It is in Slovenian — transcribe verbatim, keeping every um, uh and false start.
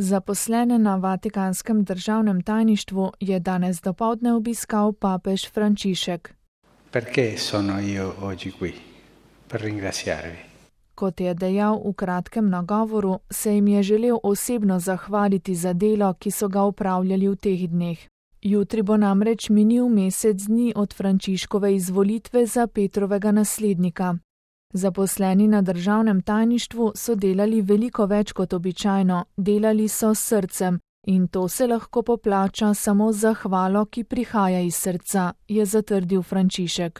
Zaposlene na Vatikanskem državnem tajništvu je danes dopoldne obiskal papež Frančišek. Perché sono io oggi qui? Per ringraziarvi. Kot je dejal v kratkem nagovoru, se jim je želel osebno zahvaliti za delo, ki so ga opravljali v teh dneh. Jutri bo namreč minil mesec dni od Frančiškove izvolitve za Petrovega naslednika. Zaposleni na državnem tajništvu so delali veliko več kot običajno, delali so s srcem in to se lahko poplača samo z zahvalo, ki prihaja iz srca, je zatrdil Frančišek.